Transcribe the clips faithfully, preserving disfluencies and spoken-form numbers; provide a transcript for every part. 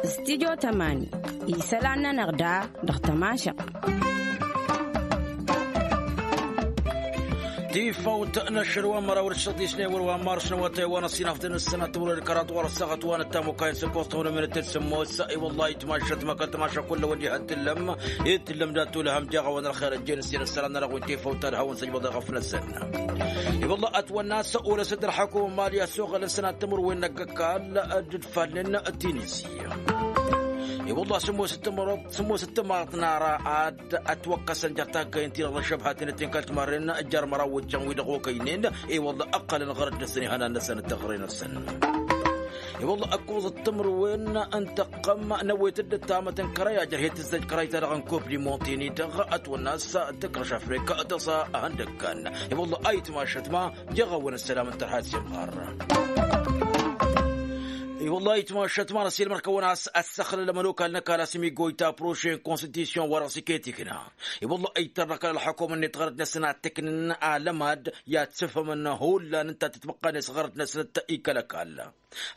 Studio tămani isălan-nănăɣ da dăɣ-tămašăɣt. Tifawt n-ašăl wa n-măraw d-săḍisne wăr wa n-mars n-awătay wa n-ăṣṣinaf d-nǝssănat timǝrwen kăraḍ wa n-ăssaɣăt wa n-ăttamukay n-săkoẓ tăwănămănăt d-sămmos. I-wăllah itmašăt măkăl tămašăt kull-wăn diha d-tǝllăm d-tǝllăm dat-tulăhăm jaɣ-awăn ălxer ăjjeen s-inǝssălan n-arăɣ wi n-tifawt ad-hawăn săjbăḍ iɣăf-năsăn. I-wăllah ătwănna a-s olăs-dd ălxakum n-mali ăsoɣălăn sănat timǝrwen n-ăgg-ăkall d-dd-falnen tinisi. I-wăllah sǝmmos d-timăḍt n-ara ad-ătwăkkăsăn jer-taggăyăn-ti-dăɣ d-ăššăbhaten ăttin kăl-timarren jer-măraw wăjjan-wi-dăɣ okăynen. I-wăllah ǝqqălăn ɣărăt-năsăn ihănan-năsăn d-taɣre-năsăn. I-wăllah ăkkoẓăt timǝrwen n-tăqqăm n-ewet dd-ăttamăt n-kărăy ajrăh i-tǝzzăj kărăy-ta-dăɣ n-kop di monti-ni-dăɣ ătwănna a-s tǝkrăš afrika tăsa. Ihăndăggan i-wăllah ayǝtmašăt ma jăɣ-awăn ăssălam n-tărha s-imɣar. I-wăllah ayǝtmašăt ma n-ăsilmăr-kăwăn a-s ăssăxlăl ămănokal n-ăkall a-s imigoyta proše n-konstitisyon-wa-dăɣ s-iket ikna. I-wăllah ăytărrăkăl ălxăkum-net ɣărăt-năsăn ad-t-ǝknǝn alămad i-ad-sǝfhămăn hullan ǝnta a tǝtmăqqan-net ɣărăt-năsăn d-ikăl ăkall.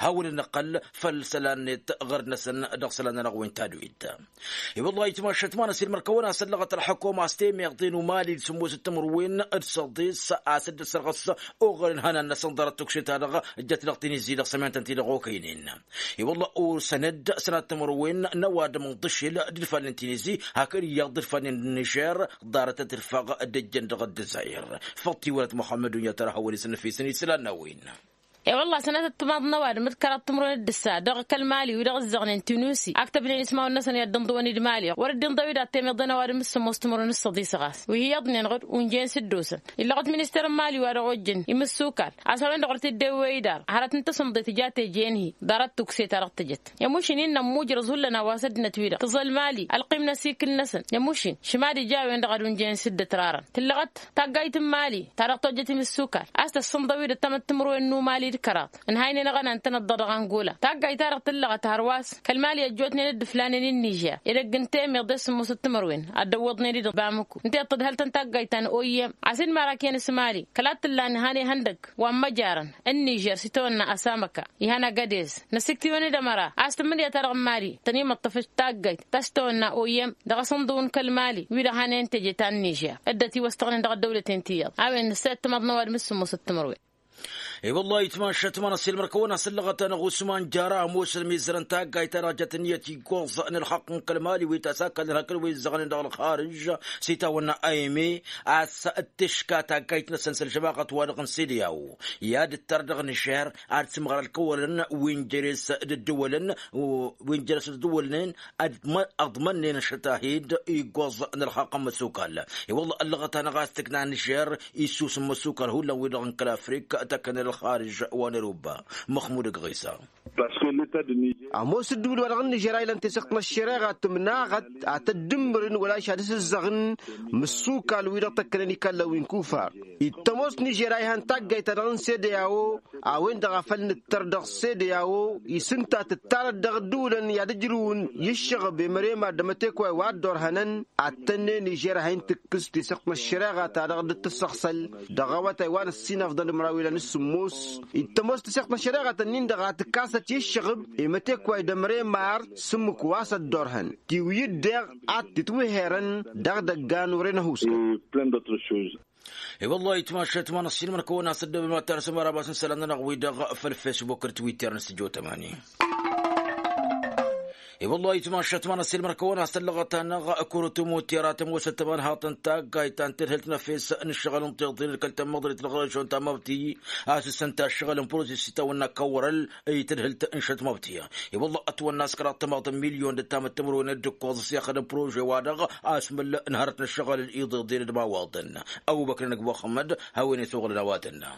Hawăn-dd-năqqăl făll-isălan-net ɣărăt-năsăn dăɣ-isălan-nănăɣ wen tadwit. I-wăllah ayǝtmašăt ma n-ăsilmăr-kăwăn a-s ăllăɣăt ălxăkum a-s temeḍe n-umali d-sǝmmos d-timǝrwen d-săḍis a-s dd-ăssărɣǝs oɣăl n-ihănan-năsăn ḍarăt tukše-ta-dăɣ ǝjjăt dăɣ-tinizi dăɣ-sămyantăn-ti-dăɣ okăynen. I-wăllah osăn-dd sănat timǝrwen n-ăwadǝm n-ḍǝšil d-ilfalnen tinizi hakd iyyăḍ d-ilfalnen n-nižer ḍarăt ad-tǝrfăɣ d-ǝjjăn dăɣ-ăddăzayr. Făḍ tiwălăt muxămmăd dunya tărha wăr-isǝnnăf-isăn islan n-a-wen. I-wălla sănătăt timaḍ n-ăwadǝm d-kăraḍ timǝrwen d-ǝssa dăɣ-kăl-mali wi-dăɣ ǝzzăɣnen tinusi ak tăbnen ismawăn-năsăn i-ad-dd-inḍǝwăn d-mali wăr dd-inḍăw-dd ad-temeḍen ăwadǝm d-sǝmmos timǝrwen d-săḍis ɣas wi hi-iyyăḍnen ɣǝd unjăyăn s-dd-osăn. Illăɣăt minister n-mali wa dăɣ-ojjăn imǝssukal a-s a-wen-dăɣ wăr t-dd-ewwey idar hărăt n-tasǝmḍe tǝja teje-en-hi ḍarăt tukse-ta-dăɣ tăjăt. I-mušin innă ǝmmujrăẓ hullan a-wa s-ăddinăt-wi-dăɣ tǝẓăl mali ălqim-năs ikǝl-năsăn i-mušin šima d-ija a-wen-dăɣ ad-unjăyăn s-dd-ătrarăn tǝllăɣăt taggayt n-mali ta dăɣ-tojjăt imǝssukal a-s tăssǝnḍăw-dd ăttămăt timǝrwen n-umali d-kăraḍ ǝnhaynen aɣănan-tăn ăḍḍa dăɣ-angola. Taggayt-ta-dăɣ tǝllăɣăt hărwa a-s kăl-mali ăjjootnen dd-ǝflanen i-nižer edăgg n-temeḍe s-sǝmmos d-timǝrwen ad-dd-ăwwăḍnen-dd bamǝku ǝnta i-dd-tǝdhăl-tăn taggayt ta n-oyyem a-s inmărakiyăn s-mali kăla t-tǝllan ǝnhăne ihăndăgg wa n-măjarăn n-nižer s-itawănna ăsamăka ihăn agădez. Năsiktiwăn-dd ămăra a-s tǝmmǝnǝya-ta-dăɣ n-mali tăn-imǝṭṭăf d-taggayt ta s-tawănna oyyem dăɣ-asǝnḍǝw n-kăl-mali wi-dăɣ hanen teje ta n-nižer dd-ătiwăstăɣnen dăɣ-ăddăwlăten ti iyyăḍ a-wen nǝssayăt timaḍ n-ăwadǝm s-sǝmmos d-timǝrwen. I-wăllah ayǝtmašăt ma n-ăsilmăr-kăwăn a-s ăllăɣăt-anăɣ usman jara ămoos ălmizăr n-taggayt-ta-dăɣ jăt ǝnniyăt iggoẓ n-ălxaqq n-kăl-mali wi ta s-akallăn hakd wi ǝzzăɣnen dăɣ-ălxarǝž s-itawănna a ime a-s d-tǝška taggayt-năsăn s-ălžămaɣăt-wa-dăɣ n-sede a-wo i-ad-ǝttăr dăɣ-nǝžer ad-sǝmɣăr ălkăwălăn wi n-jere-s d-ǝddǝwălăn wi n-jere-s d-ǝddǝwălnen. Ăḍmănnen ăššăt-ahi-dd iggoẓ n-ălxaqq ămmăsukal. I-wălla ăllăɣăt-anăɣ a-s tǝkna nǝžer issus n-imăsukal hullan-wi-dăɣ n-kăl-afrik tăkkănen ălxarǝž wa n-eruba. Măxmud ăgɣisa. Ămoos ǝddǝwǝl-wa-dăɣ n-nižer a ilăn tesăɣt n-ăššăreɣa tǝmnaɣăt ad-t-ăddǝmmǝrǝn wăla ašad-s ǝzzăɣăn imǝssukal-wi-dăɣ tăkkănen ikallăn wi n-kufar. Ittămoos nižer a ihan taggayt-ta-dăɣ n-sedeyawo a-wen-dăɣ a făl nǝttăr dăɣ-sedeyawo isǝnta tǝttarăt dăɣ-ǝddǝwǝlăn i-ad-ǝjrǝwăn i-ǝššăɣǝb i-mărem ad-dămătekway wa dd-orhănăn ad-tănne nižer a hin-tǝkkǝs tesăɣt n-ăššăreɣa-ta-dăɣ dd-tǝssăɣsăl dăɣ-awătay wa n-ăssinăfḍăn d-măraw ilan s-sǝmmos. Ittămoos tesăɣt n-ăššăreɣa-tăn-in-dăɣ a tǝkkasăt i-ǝššăɣǝb i-mătekway d-ămremar s-ǝmmǝk wa s-ăddorhăn tiwǝyǝd deɣ ad-t-itwǝhherăn dăɣ-idăggan wăren ăhuuskăn. I-wăllah ayǝtmašăt ma n-ăssinmăn kăwăn-as ăddăbăm ad-tarsăm arabas n-isălan-nănăɣ-wi-dăɣ făll-fesbuk d-twitter n-sǝjo tămani. I-wăllah ayǝtmašăt ma n-ăssinmăn kăwăn-as ăllăɣăt-anăɣ kurǝt umutera tămoosăt tămanhaḍt n-taggayt ta n-tadhǝlt n-efes n-ǝššăɣǝl n-tiḍǝl kăl-tămmăḍrit n-ɣărăžon ta măbti a-s ǝssǝnta ǝššăɣǝl n-prusis s-itawănna kăwărăl i-tadhǝlt n-šăt măbti. I-wălla ătwănna a-s kăraḍ tămaḍ n-milyon d-ăttamăt timǝrwen d-ǝkkoẓ s-ixdǝm prože-wa-dăɣ asmǝl n-hărăt n-ǝššăɣǝl iḍeḍen d-imawaḍăn. Ăbubăkr n-ăgg muxămmăd hawăn-e-suɣǝlăn a-wa tănna.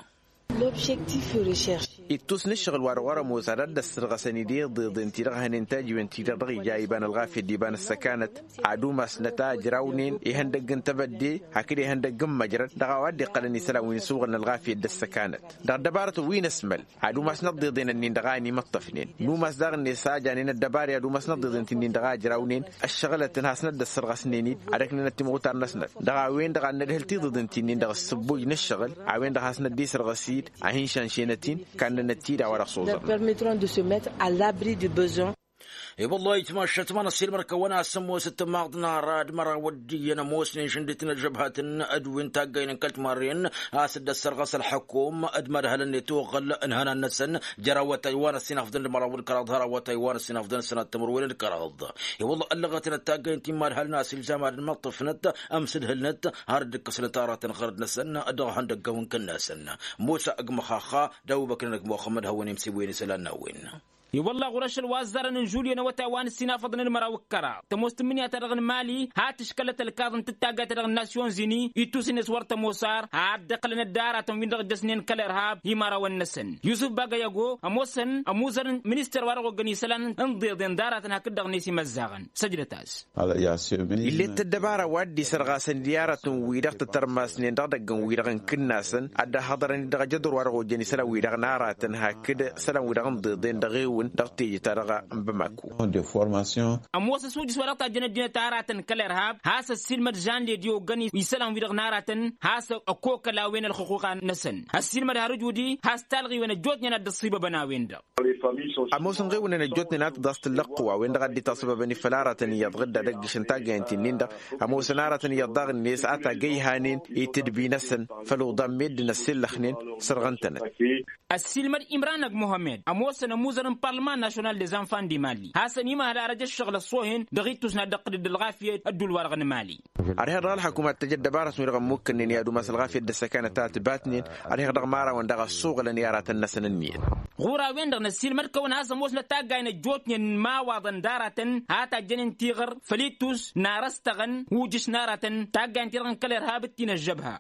L'objectif recherché. Ittus n-ǝššăɣǝl wa dăɣ-wăr-ămoos ad-dd-ăssărɣăsăn-dd iḍeḍen-ti-dăɣ hănen tajǝwen-ti-dăɣ dăɣ-ija iba n-ălɣafyăt d-iba n-ăssăkanăt. Ad-umasnăt a ǝjrawnen ihăndăgg n-tebădde hakd ihăndăgg n-măjrăd dăɣ-a-wa dd-iqqălăn isălan wi n-ǝssuɣǝl n-ălɣafyăt d-ăssăkanăt. Dăɣ-ăddăbarătăn wi n-ăsmăl ad-umasnăt iḍeḍen-nin-dăɣ a ănimăṭṭăfnen. Numas daɣ-net a janen ăddăbari ad-umasnăt iḍeḍen-ti-nin-dăɣ a ǝjrawnen ăššăɣǝlătăn hasnăt dd-ăssărɣăsnen-dd ad-ăknănăt timɣutar-năsnăt. Dăɣ-a-wen-dăɣ ad-nădhǝl tiḍeḍen-ti-nin-dăɣ ǝssǝbboj n-ǝššăɣǝl a-wen-dăɣ hasnăt dd-isărɣǝs-dd ad-hin-šanšenăt kannănăt-dd a-wa dăɣ-s oẓărnăt. Permettront de se mettre à l'abri du besoin. I-wăllah itmašăt ma n-ăssiilmăr-kăwăn-as ămoos ăttămaḍ n-ara d-măraw ăddiyyăn ămoosnen šăndit n-ăžžăbhat n-ădwin taggaynen kăl-timarren a-s dd-ăssărɣăs ălḥăkum d-mad-hălăn i-tuɣǝl n-ihănan-năsăn jer-awătay wa n-ăssinafḍăn d-măraw d-kăraḍ har awătay wa n-ăssinafḍăn sănat timǝrwen d-kăraḍ. I-wăllah ăllăɣătnăt taggaynen ti n-mad-hălăn a-s ilzam ad-ănmăṭṭăfnăt ămsǝdhǝlnăt har dd-ǝkkăsnăt aratăn ɣărăt-năsăn dăɣ-ihăndăgg a-wen kănnasăn. Musa ăgg măxaxa d-abubăkr n-ăgg muxămmăd hawăn-imsǝwwen isălan n-a-wen. I-wălla ɣur-ašăl wa ăzzarăn n-žulyen awătay wa n-ǝssinafăḍnen măraw d-kăraḍ tămoos tǝmmǝnǝya-ta-dăɣ n-mali ha tǝškălăt ălkaḍ n-tǝttagayt-ta-dăɣ n-nasyon zini. Ittus-net wăr tămoos ar ad-dd-ăqqǝlăn ăddaratăn-win-dăɣ ǝjjăsnen kăl-irhab i-imărawăn-năsăn. Yusǝf bagăyago ămoosăn ămuzăr n-minister wa dăɣ-oggăn isălan n-iḍeḍen d-aratăn hakd-dăɣ net imăzzaɣăn săjdăt-as. Ill'-e t-ăddăbara wa dd-isărɣasăn i-aratăn-wi-dăɣ tǝtărmasnen dăɣ-idăgg n-wi-dăɣ n-kǝnnasăn ad-dd-ăhhăḍărăn-dd dăɣ-ajădur wa dăɣ-ojjăn isălan-wi-dăɣ n-aratăn hakd isălan-wi-dăɣ n-iḍeḍen dăɣ-ewǝn dăɣ-teje-ta-dăɣ n-bamako. Ămoos ăsujǝs wa dăɣ-tajjăn ăddinăt aratăn kăl-irhab has-ăssiilmăd žan ledi oggăn isălan-wi-dăɣ n-aratăn has-ăkokăl a-wen ălxuquqa-năsăn ăssiilmăd har ǝjudi has-talɣiwen ăjjootnen ad-dd-ăṣṣibăbăn a-wen-dăɣ. Ămoosăn ɣiwǝnăn ăjjootnen ad-tăḍas tǝllăqqǝw a-wen-dăɣ ad-dd-itaṣṣăbăbăn i-făll-aratăn iyyăḍ ɣǝdda d-ăgg-išăn taggayăn-ti-nin-dăɣ. Ămoosăn aratăn iyyăḍ daɣ-net a tagăyhanen i-tǝdbi-năsăn făll-uḍan meddǝn ăssillăxnen sărɣăn-tănăt. Ăssiilmăd imran ăgg muhămmed ămoosăn ămuzăr n-parlăman national des enfants di mali hasăn-imhăl arăj ăššăɣǝl ăṣṣoohen dăɣ-ittus n-ad-dd-ăqqǝdǝd ălɣafyăt ădduul-wa-dăɣ n-mali. Ăriheɣ dăɣ-ălḥăkumat tăj ăddăbarătăn wi-dăɣ ămmukkănnen i-ad-umas ălɣafyăt d-ăssăkanăt a ătbatnen. Ăriheɣ dăɣ-imărawăn daɣ ăssuɣǝlăn i-aratăn-năsăn ǝnniyăn. Ɣur-a-wen-dăɣ n-ăssiilmăd-kăwăn has-ămoosnăt taggay n-ăjjootnen n-imawaḍăn d-aratăn ha tajjănen tiɣăr făll-ittus n-arăstăɣăn ujǝš n-aratăn taggay n-ti-dăɣ n-kăl-irhab d-ti n-ăžžăbha.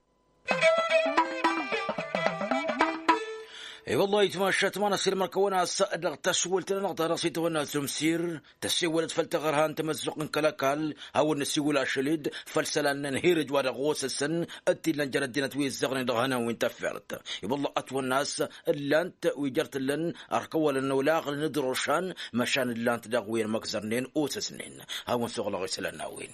I-wăllah itmašat ma n-ăssiilmăr-kăwăn-as dăɣ-taswǝlt-nănăɣ ta dăɣ-s itawănna zumsir tăssewălăt făll-taɣărha n-tamăzzuɣt n-kăl-ăkall. Hawăn-nǝsiwǝl ašăl-dd făll-isălan n-ănhirăj wa dăɣ-osăsăn d-t-illăn jer-ăddinăt wi ǝzzăɣnen dăɣ-ihănan wi n-tafert. I-wăllah ătwănna a-s ǝllan-t wi jer-t-ǝllăn ărkăwălăn olaɣălăn d-rošan măšan ǝllan-t dăɣ-wi ănmăkzărnen osăsnen. Hawăn-suɣlăɣ isălan n-a-wen.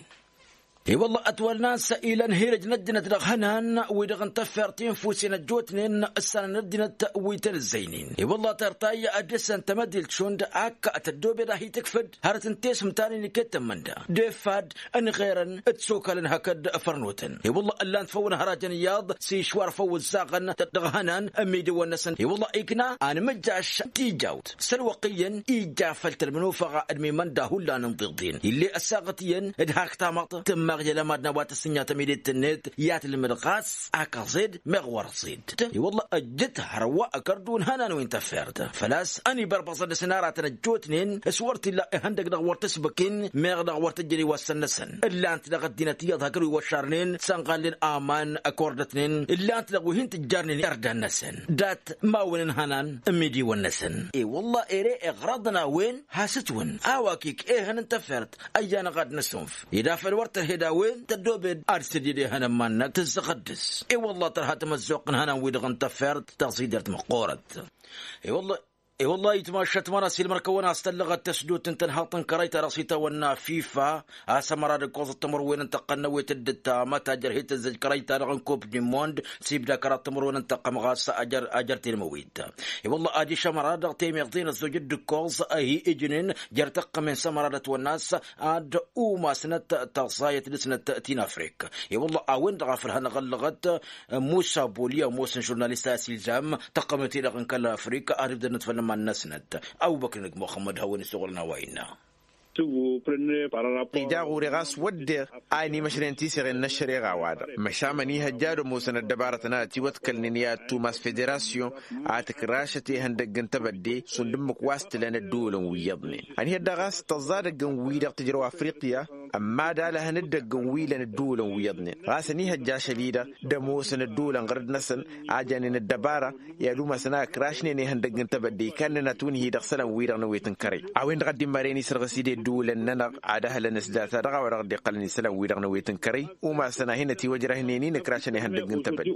I-wălla ătwălnan s-ilăn hirăj n-ăddinăt dăɣ-ihănan wi-dăɣ n-tafert infusen ăjjootnen ǝssanăn ăddinăt wi tăn-ǝzzăynen. I-wălla tărtay ad-dăr-săn tamădilt šund ak tăddobed a hi-tǝkfǝd hărăt n-tesmtanen iket tămmănda d-efad ănɣerăn d-sokalăn hakd fărnotăn. I-wălla ǝllan-t făw n-hărajăn iyyăḍ s-išwar făw ǝzzaɣăn dăɣ-ihănan n-imidǝwăn-năsăn. I-wălla ikna anmǝjjaš tijawt s-ălwăqq iyyăn ija făll-tălmǝnufăɣa d-mimănda hullan n-tiḍin ill'-e ăssaɣăt iyyăn d-hak tamăḍt tǝmmaɣ i-ălămad n-a-wa tăssǝnja tămidit-net i-ad-tǝlmǝd ɣas ak ăẓed meɣ wăr-ăẓed. I-wălla ăjjǝt hărwa ăkărdu n-ihănan wi n-tafert făl-a-s ănibărbaẓăn dăɣ-s n-aratăn ăjjootnen s-wăr t-illa ihăndăg dăɣ-wăr t-sbǝkin meɣ dăɣ-wăr tǝjjăn iwassăn-năsăn. Ǝllan-t dăɣ-ăddinăt iyyăḍ hakd wi wăššarnen sănɣallen aman ăkordătnen ǝllan-t dăɣ-wi hin-tǝjjarnen irdan-năsăn dat-mawăn n-ihănan n-imidiwăn-năsăn. I-wălla ere iɣrăḍăn a-wen has-ǝtwǝn a-wa k-ik ehăn n-tafert ăyyan-ăɣ ad-năsunf ed afăl wăr tărhed a-wen tăddobed ad-sădid ehăn ămannăk tǝzzăɣăd dăɣ-s. I-wălla tărha tamăzzuɣt n-ihănan-wi-dăɣ n-tafert tăẓidert măqqoorăt. I-wălla i-wălla itmašăt măra s-ilmăr-kăwăn-as tăllăɣăt tăsdut n-tănhaḍt n-kărăy-ta-dăɣ s-itawănna fifa a-s ămăra d-ǝkkoẓăt timǝrwen n-tăqqănnăwet d-ǝttamăt a jer-hi-tǝzzăj kărăy-ta-dăɣ n-kop du mond s-ibda kăraḍ timǝrwen n-tăqqăm ɣas a jer-telmăwit. I-wălla adiš ămăra dăɣ-temeḍe n-ăzzoj d-ǝkkoẓ a hi-ǝjnen jer-tăqqămen s-ămăra d-ătwănna a-s ad-umasnăt tăẓẓayăt dăɣ-snăt ti n-afrik. I-wălla a-wen-dăɣ a făl hanăɣ-ăllăɣăt musa boli ămoosăn žurnalist a-s ilzam tăqqămen-ti-dăɣ n-kăl-afrik ad-ǝbdădnăt făll-iman-năsnăt. Abubăkr n-ăgg muxămmăd hawăn-isăɣǝlăn a-wa innă. Ija ɣur-e ɣas wădden a inimăšrăyăn tiseɣen n-ăššăreɣa-wa-dăɣ măšan mănihăjja ad-ămoosăn ăddăbarătăn ad-ătiwăḍkălnen i-ad-tumas federasyon ad-tǝkrašăt ihăndăgg n-tebădde šund ǝmmǝk wa s-tǝlăn ădduulăn wi iyyăḍnen. Ănihăt daɣ a-s tăẓẓa dăgg-n-wi-dăɣ tǝjrăw afriqya. Ămmadalăhăn dd-ăgg n-wilăn ădduulăn wi iyyăḍnen ɣas ănihăjja ašăl-i-dăɣ d-ămoosăn ădduulăn ɣur-dd-năsăn a janen ăddăbara i-ad-umasăn a ǝkrašnen ihăndăgg n-tebădde ikannăn atunhi-dăɣ isălan-wi-dăɣ n-ewet n-kărăy. A-wen-dăɣ a dd-immărăn isărɣǝs-dd i-ădduulăn-nănăɣ ad-ăhǝlăn s-data-dăɣ a-wa dăɣ-dd-iqqălăn isălan-wi-dăɣ n-ewet n-kărăy umasăn a hin-ătiwăjrăhnen-in ǝkrašăn ihăndăgg n-tebădde.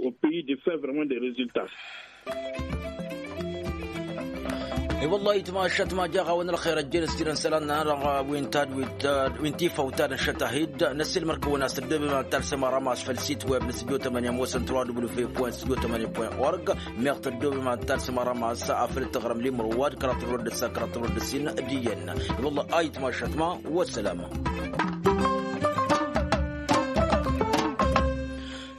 I-wălla-hi tmašat ma jaɣ-awăn ălxer ăjjeen s-tirăn isălan-nănăɣ wi n-tad wi n-tifăw ta dăɣ-šăt a hi-dd năssiilmăr-kăwăn a-s tăddoobem ad-talsăm arămas făll-sit web n-studio tămănǝya ămoosăn tăraw w fm studio tămănǝya point org. Meɣ tăddoobem ad-talsăm arămas afăl t-tăɣrăm limrǝwad kăraḍ tămrăd d-ǝssa kăraḍ tămrăd d-ǝssin d-iyyăn. I-wălla-hi tmašat ma wăssălama.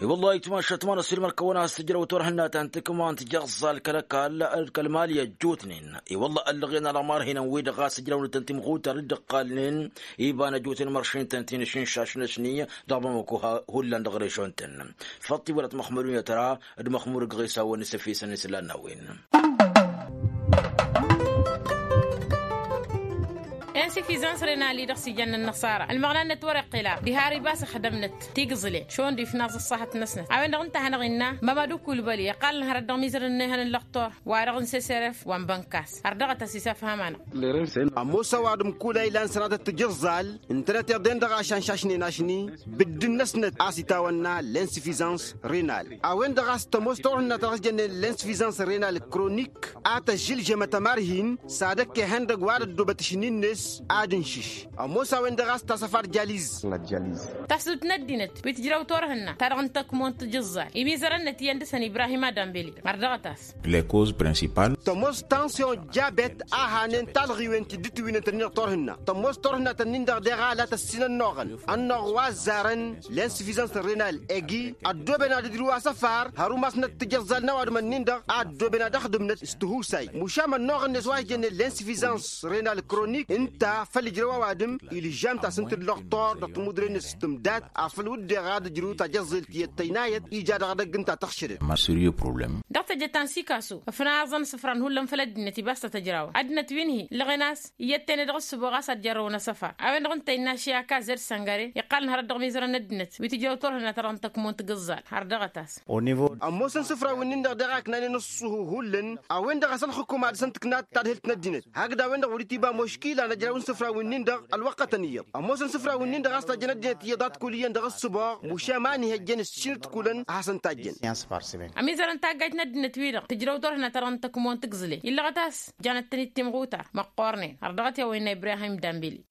I-wălla-hi tmašat ma năssiilmăr-kăwăn a-s tǝjrăw turhǝnna ta n-tǝkma n-tijăẓẓal kăl-ăkall d-kăl-mali ăjjootnen. I-wălla ăllăɣen alăɣmar hinăn-wi-dăɣ ɣas ǝjrăwnăt n-timɣutar dd-ǝqqalnen iba n-ăjjootnen măršin-tăn tinǝšǝnšaš-năsni dăɣ-bamăko hullan dăɣ-režon-tăn. Făṭṭ-i wălăt măxmădun i-tăra d-măxmur gɣes a-wen s-efisăn islan n-a-wen. Insifizans renali dăɣ-s ijăn n-ănnăṣara ălmăɣna-net wăr-iqqǝla diha ar ibas ăxdămnăt tigǝẓle šund ifnaẓ ăṣṣahăt-năsnăt a-wen-dăɣ ǝnta a hanăɣ-innă mămădu kulbăli iqqalăn hărăt dăɣ-mizărăn n-ehăn n-lăxtor wa-dăɣ n-seseref wa n-bănkas. Ărdăɣăt-as isafham-anăɣ. Ămoos ăwadǝm kul a ilan sănatăt tijǝẓẓal ǝntănăt iḍen-dăɣ ašanšašnen ašni bǝddǝn-năsnăt a-s itawănna l-insifizans renal. A-wen-dăɣ a-s tămoos turhǝnna ta dăɣ-s jănnen l-insifizans renal kronik a tăžžǝlžămăt ămarhin s-ad-ăkk ihăndăg wa d-ăddoobăt ašǝnnin-net ad-ǝnšǝš. Ămoos a-wen-dăɣ a-s tasăfar jaliz. Tasut n-ăddinăt wi tǝjrăw turhǝnna ta dăɣ-n tăkmo n-tijǝẓẓal imizărăn-net iyyăn dăɣ-săn ibrahim adambeli. Ărdăɣăt-as. Tămoos tansyon jabet a hanen talɣiwen ti dd-tiwinăt-nin dăɣ-turhǝnna tămoos turhǝnna-tăn-nin-dăɣ deɣ a la tăssin ănnuɣăn ănnuɣ wa ăzzarăn l-insufizans renal egi ăddooben ad-ǝjrǝw asăfar hărǝw masnăt tijăẓẓal n-ăwadǝm-nin-dăɣ a ăddooben ad-ăxdǝmnăt s-tihusay mušam ănnuɣ-net wa ijănnen l-insufizans renal kronik ǝnta făll-ǝjrăw ăwadǝm ilǝžžam tasǝnt-dd lăxtor dăɣ-timudre-net s-tǝmdat afăl wǝdden ad-ǝjrǝw tajăẓẓelt i-ăttăynayăt ija dăɣ-edăgg ǝnta tăɣšădăt. Dăɣ-tejăt ta n-sikasu ăfnaẓăn isǝfran hullan făll-ăddinăt ibas tăt-ăjrawăn ăddinăt wi n-hi-illăɣen a-s iyyăt tene dăɣ-ǝssǝboɣ a-s ad-jarrăwăn asăfar a-wen-dăɣ ǝnta innă ašya kazed săngăre iqqalăn hărăt dăɣ-mizărăn n-ăddinăt wi tǝjrăw turhǝnna ta dăɣ-n tăkmo n-tijǝẓẓal har dăɣ-ătas. Ămoosăn isǝfrawen-nin-dăɣ deɣ a ǝknanen ǝṣṣuhu hullan a-wen-dăɣ a-s ălxǝkum ad-săn-tǝknat tadhǝlt n-ăddinăt hakd a-wen-dăɣ wăr-itiba muškila n-ăjraw n-isǝfrawen-nin-dăɣ ălwăqqătăn iyyăḍ. Ămoosăn isǝfrawen-nin-dăɣ a-s tajjăn ăddinăt iyyăḍ ad-t-kul iyyăn dăɣ-ǝssǝboɣ mušam a ănihăjjăn s-šinǝt kulăn a hasăn-tajjăn. Ămizărăn taggajt n-ăddinăt-wi-dăɣ tǝjrăw turhǝnna ta dăɣ-n tăkmo n-tǝgẓǝle illăɣăt a-s janăt-tăn-dd timɣutar măqqoornen har dăɣ-t i-a-wa innă ibrahim dambeli.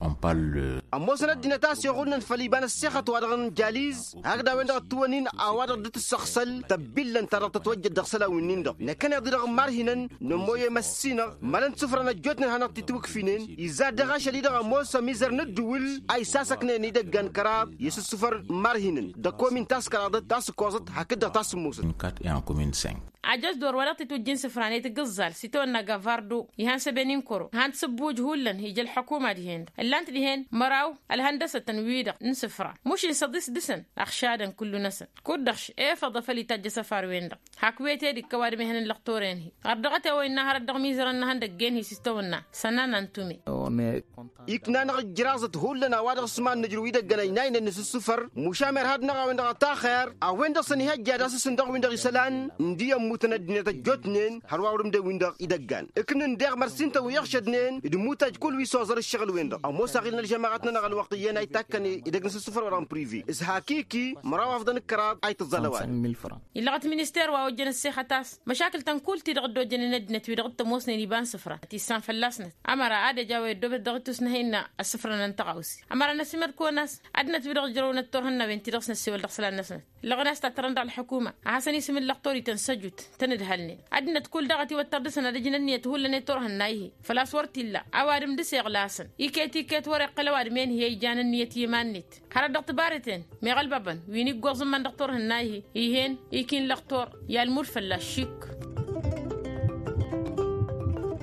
Ămoosăn ăddinăt a-s iɣullăn făll-iba n-ăssexăt wa dăɣ-n jaliz hakd a-wen-dăɣ ătwănnin a-wa dăɣ-dd-tǝssăɣsăl tăbbillăn ta dăɣ-tătwăjjăt dăɣ-isălan-winnin-dăɣ. Năkkăneḍ-i-dăɣ n-imarhinăn nămoy i-măssinăɣ mălăn sufrăn ăjjootnen hanăɣ-t-itwǝkfinen izad daɣ ašăl-i-dăɣ ămoos ămizăr n-ǝddǝwǝl a isasăknen idăggan kăraḍ i-asǝssufăr n-imarhinăn d-ăkomin ta s-kăraḍăt ta s-ǝkkoẓăt hakd-dăɣ ta s-ǝmmusăt. Ajăs d-or wa dăɣ-titwǝjjin sǝfran i-tǝggǝẓẓal s-itawănna gavardo ihăn săben inkăro han-t sǝbbuj hullan ija ălḥukuma dihen-dăɣ ǝllan-t dihen măraw ălhăndăsătăn-wi-dăɣ n-sǝfra mušin săḍis dăɣ-săn ăɣšadăn kullu-năsăn. Kud-dăɣ š-efăḍ a făl itajj asăfar-wen-dăɣ hak wete d-ikkăw adǝm ihăn n-lăxtor-en-hi ɣăr dăɣ-t i-a-wa innă hărăt dăɣ-mizărăn n-ihăndăggen-hi s-istăwănna sănana n-tume. Ikna-năɣ ǝjraẓăt hullan a-wa dăɣ-s iman n-ǝjrǝw idăggăn ăynaynen n-asǝssǝfăr mušam irhad-năɣ a-wen-dăɣ a taxer a-wen-dăɣ s-ănihăjja d-asǝsǝn dăɣ-win-dăɣ isălan ǝndi ămmutăn ăddinăt ăjjootnen hărwa wăr-ǝmdăw-win-dăɣ idăggan. Ǝknǝn deɣ măr s-intăn wi ăɣšădnen d-imutaj kull wi s-oẓăr ǝššăɣǝl-wen-dăɣ ămoos aɣil n-ălžămaɣăt-nănăɣ ălwăqq iyyăn a itakkăn idăgg n-asǝssǝfăr wa dăɣ-n privi s-hakiki măraw afḍăn d-kăraḍ a itǝẓẓal ăwadǝm. Illăɣăt minister wa ojjăn ăssexăt a-s măšakǝl-tăn kull-ti-dăɣ dd-ojjănen ăddinăt-wi-dăɣ dd-tămoosnen iba n-sǝfra ătissan fălla-snăt ămăra ad-ăj a-wa iddobăt dăɣ-itusnăh innă ăssǝfrănăn tăɣawse. Ămăra n-ăsimăd-kăwăn a-s ăddinăt-wi-dăɣ ǝjrăwnăt turhǝnna-wen-ti dăɣ-s năssewăl dăɣ-isălan-năsnăt ǝllăɣăn a-s tattărăn dăɣ-ălḥukuma a hasăn-isǝm n-lăxtor-ităn săjut tăn-ǝdhălnen. Ăddinăt kull daɣ ătiwăttăr dăɣ-săn ad-ǝjǝn ǝnniyăt hullan i-turhǝnna-hi făl-a-s wăr t-illa ăwadǝm dăɣ-s iɣlasăn iket-iket wăr-iqqăl ăwadǝm-en-hi a ijan ǝnniyăt i-iman-net. Hărăt dăɣ-tibaren meɣ ălbabăn wi n-iggoẓ n-iman dăɣ-turhǝnna-hi ih'-en iki n-lăxtor i-almud fălla-s šik.